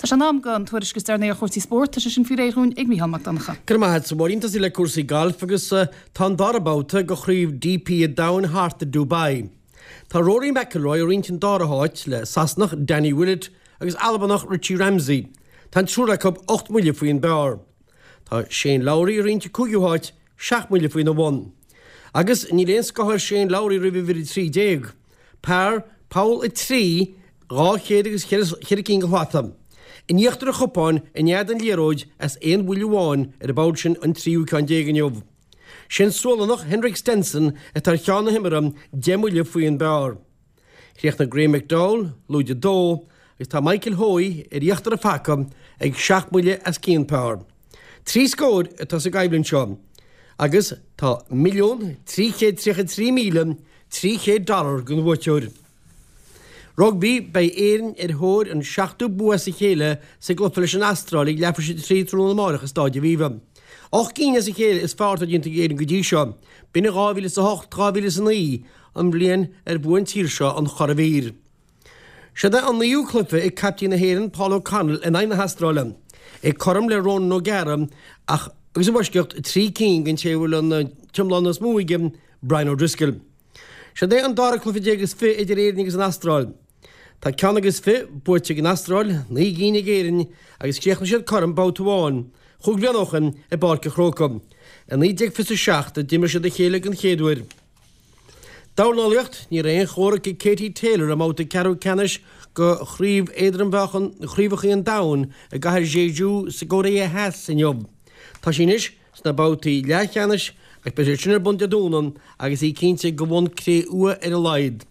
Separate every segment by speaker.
Speaker 1: Tá sé in am don tuairisc is deireanaí ar chúrsaí spóirt, tá sé sin faoi réir dhúinn ag Mícheál Mac Donncha.
Speaker 2: Go raibh maith agat, a Mháirín. Tosaí le cúrsaí gailf agus tá an dara babhta de chraobh DP an Domhain thart i Dubai. Tá Rory McIlroy ag roinnt an dara háit le Sasanach Danny Willett agus Albanach Richie Ramsay. Tá an triúr acu 8 mbuille faoin bpar. Tá Shane Lowry ag roinnt an cúigiú háit, 7 mbuille faoina bhun. Agus níl aon scáth ar Shane Lowry roimh uimhir 13. Par, poll 3, 200 agus cheithre cinn de shlata. In íochtar an chupáin, in fhad an liathróid, as aon bhuille amháin ar an bpoll sin an tríú ceann déag inniu. Sé'n Sualannach Henrik Stenson atá ar cheann na himeartha, 10 mbuille faoin bpar. Chríochnaigh Graeme McDowell lúide 2 agus tá Michael Hoey ar íochtar an phaca ag 7 mbuille as cionn par. 3 scór atá sa gcoimhlint seo agus tá $1,333,300 dollar don bhuaiteoir. Rugbaí, Beidh Éirinn ar thóir an seachtú bua as a chéile sa gcluiche leis an Astráil ag leathuair tar éis a 3 tráthnóna amárach i Stáid Aviva. 8 gcinn as a chéile is fearr atá déanta ag Éirinn go dtí seo. B'in in 2008, 2009, an bhliain ar bhuaigh an tír seo an churadhmhír. Seod é an naoú cluiche ag caiptín na hÉireann Paul O'Connell in aghaidh na hAstráile. É cothrom le Ronan O'Gara ach agus i bhfoisceacht 3 cinn den té a bhfuil an t-iomlán is mó aige, Brian O'Driscoll. Seod é an dara cluiche déag is fi idir Éirinn agus an Astráil. Tá ceann agus fi buaite ag an Astráil, 9 gcinn ag Éirinn agus chríochnaigh siad cothrom babhta amháin, chúig bhliana ó shin i bPáirc an Chrócaigh. I 1927 a d'imir siad a chéile den chéad uair. Dornálaíocht, Ní raibh aon chomhrac ag Katie Taylor i mbabhta ceathrú ceannais de Chraobh Éadrom-Mheáchan Chraobhacha an Domhain i gcathair Jeju sa gCóiré Theas inniu. Tá sí anois sna babhtaí leathcheannais agus beidh sé sin ar bun Dé Domhnaigh agus í cinnte de bhonn cré-umha ar a laghad.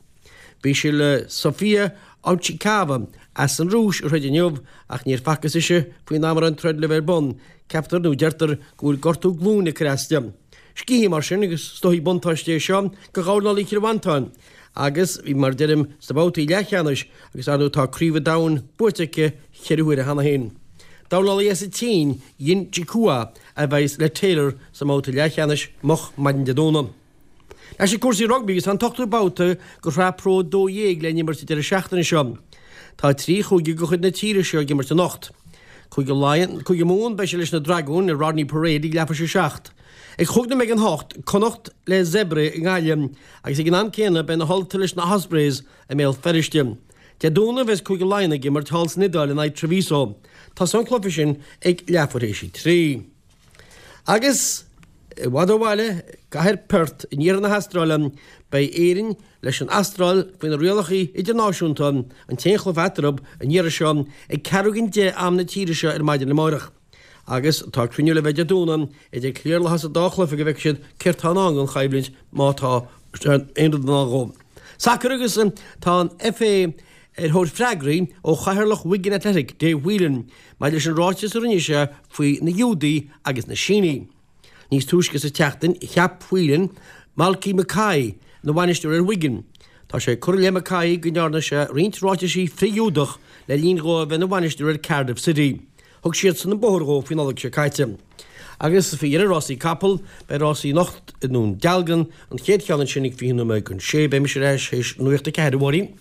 Speaker 2: Bhí sí le Sofia Ochigava as an Rúis a throid inniu ach níor facthas ise faoin am a raibh an troid le bheith ar bun. Ceaptar nó deirtear go bhfuil gortú glúine ag cur as di. Scíth í mar sin agus is dóichí buntáiste é seo do dhornálaí Chill Mhantáin agus bhí, mar a deirim, sna babhtaí leathcheannais agus ar ndóigh tá Craobh an Domhain buaite aici cheithre huaire cheana féin. Dornálaí as an tSín, Yin Jihua, a bheas le Taylor sa mbabhta leathcheannais moch maidin Dé Domhnaigh. Anois ag cúrsaí rugbaí agus tá an t-ochtú babhta de Shraith Pro 12 le n-imirt an deireadh seachtaine seo. Tá 3 chúige de chuid na tíre seo ag imirt anocht. Cúige Laighean, Cúige Mumhan, beidh sé leis na Dragúin i Rodney Parade ag leathuair tar éis a 7. Ag chúig nóiméad don hocht, Connacht le Zebre i nGaillimh agus ag an am céanna beidh na hUltaigh leis na Ospreys i mBéal Feirste. Dé Domhnaigh bheas Cúige Laighean ag imirt thall san Iodáil in aghaidh Treviso. Tosóidh an cluiche sin ag leathuair tar éis a 3. Agus i bhfad ó bhaile, i gcathair Perth in iarthar na hAstráile, beidh Éirinn leis an Astráil faoi na rialacha idirnáisiúnta, an t-aon chluiche eatarthu an iarraidh seo, ag ceathrú don 10 am na tíre seo ar maidin amáireach. Agus tá cruinniú le bheith Dé Domhnaigh idir cliarlathas an dá chluiche go bhfeicfidh siad céard tá i ndán don choimhlint má tá aon rud i ndán dhó. Sacar agus tá an FA ar thóir freagraí ó chathaoirleach Wigan Athletic, Dave Whelan, maidir leis an ráiteas a rinne sé faoi na Giúdaigh agus na Sínigh. Níos túisce sa tseachtain, cheap Whelan Malky Mackay ina bhainisteoir ar Wigan. Tá sé curtha i leith Mackay go ndearna sé roinnt ráitisí frith-Ghiúdach le linn dhó a bheith ina bhainisteoir ar Cardiff City. Thug siadsan an bóthar dhó faoin Nollaig seo caite. Agus faoi dheireadh rásaí capall, beidh rásaí anocht i nDún Dealgan, an chéad cheann ansin ag 6:20. Beidh mise ar ais théis nuacht a 4, a Mháirín.